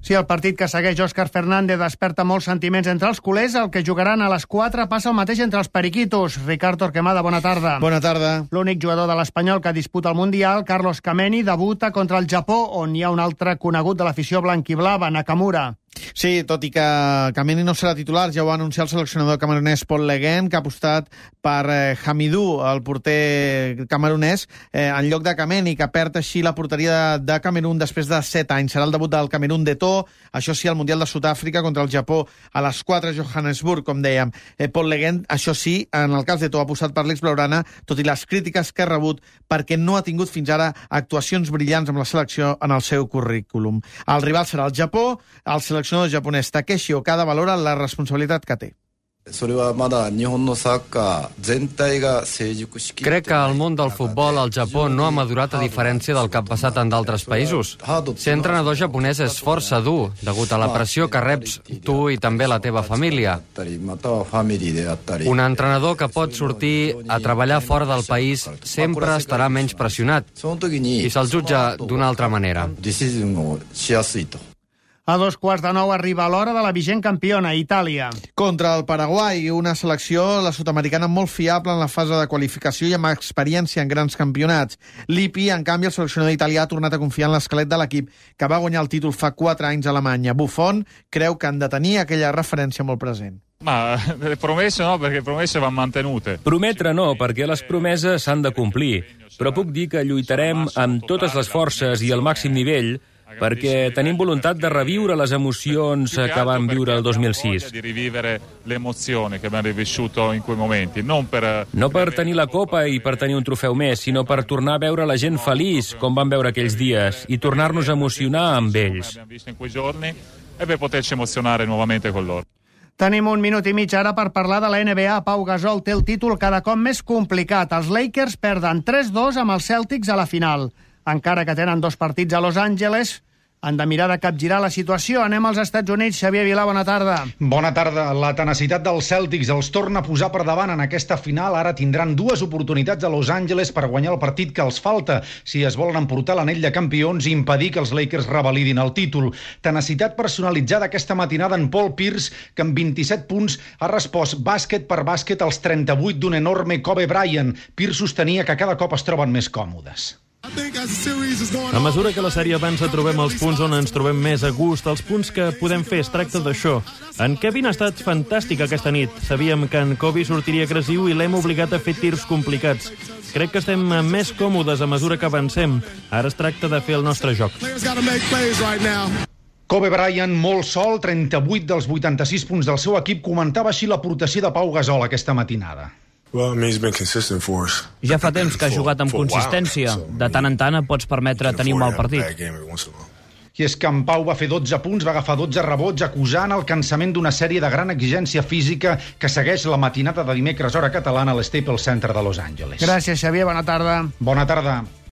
Sí, el partit que segueix Òscar Fernández desperta molts sentiments entre els culers. El que jugaran a les 4 passa el mateix entre els periquitos. Ricard Torquemada, bona tarda. Bona tarda. L'únic jugador de l'Espanyol que disputa el Mundial, Carlos Kameni, debuta contra el Japó, on hi ha un altre conegut de l'afició blanquiblava, Nakamura. Sí, tot i que Kameni no serà titular, ja ho va anunciar el seleccionador camerunès Paul Le Guen, que ha apostat per Hamidou, el porter camerunès, en lloc de Kameni, que perd així la porteria de Camerun després de 7 anys. Serà el debut del Camerun d'Eto'o, això sí, al Mundial de Sud-àfrica contra el Japó a les 4 a Johannesburg, com dèiem. Paul Le Guen, això sí, en el cas d'Eto'o ha apostat per l'ex-blaugrana, tot i les crítiques que ha rebut perquè no ha tingut fins ara actuacions brillants amb la selecció en el seu currículum. El rival serà el Japó, el seleccionador japonès Takeshi Okada valora la responsabilitat que té. Crec que el món del futbol al Japó no ha madurat a diferència del que ha passat en d'altres països. Ser entrenador japonès és força dur, degut a la pressió que reps tu i també la teva família. Un entrenador que pot sortir a treballar fora del país sempre estarà menys pressionat i se'l jutja d'una altra manera. A 8:45 arriba l'hora de la vigent campiona, Itàlia. Contra el Paraguai, una selecció, la sud-americana, molt fiable en la fase de qualificació i amb experiència en grans campionats. Lippi, en canvi, el seleccionador italià ha tornat a confiar en l'esquelet de l'equip, que va guanyar el títol fa 4 anys a Alemanya. Buffon creu que han de tenir aquella referència molt present. Le promesse no, perché le promesse van mantenute. Prometre no, perquè les promeses s'han de complir. Però puc dir que lluitarem amb totes les forces i al màxim nivell perquè tenim voluntat de reviure les emocions que vam viure el 2006. Di rivivere le emozioni che abbiamo vissuto in quei momenti, non per... No per tenir la copa i per tenir un trofeu més, sinó per tornar a veure la gent feliç, com vam veure aquells dies, i tornar-nos a emocionar amb ells. Abbiamo visto in quei giorni e per poterci emozionare nuovamente con loro. Tenim un minut i mig ara per parlar de la NBA. Pau Gasol té el títol cada cop més complicat. Els Lakers perden 3-2 amb els Celtics a la final. Encara que tenen 2 partits a Los Angeles, han de mirar de capgirar la situació. Anem als Estats Units. Xavier Vilà, bona tarda. Bona tarda. La tenacitat dels Celtics els torna a posar per davant en aquesta final. Ara tindran 2 oportunitats a Los Angeles per guanyar el partit que els falta si es volen emportar l'anell de campions i impedir que els Lakers revalidin el títol. Tenacitat personalitzada aquesta matinada en Paul Pierce, que amb 27 punts ha respost bàsquet per bàsquet als 38 d'un enorme Kobe Bryant. Pierce sostenia que cada cop es troben més còmodes. A mesura que la sèrie avança trobem els punts on ens trobem més a gust, els punts que podem fer, es tracta d'això. En Kevin ha estat fantàstic aquesta nit. Sabíem que en Kobe sortiria agressiu i l'hem obligat a fer tirs complicats. Crec que estem més còmodes a mesura que avancem. Ara es tracta de fer el nostre joc. Kobe Bryant, molt sol, 38 dels 86 punts del seu equip, comentava així l'aportació de Pau Gasol aquesta matinada. Ja fa temps que ha jugat amb consistència. De tant en tant et pots permetre tenir un mal partit. I és que en Pau va fer 12 punts, va agafar 12 rebots, acusant el cansament d'una sèrie de gran exigència física que segueix la matinada de dimecres hora catalana a l'Staples Center de Los Angeles. Gràcies, Xavier. Bona tarda. Bona tarda.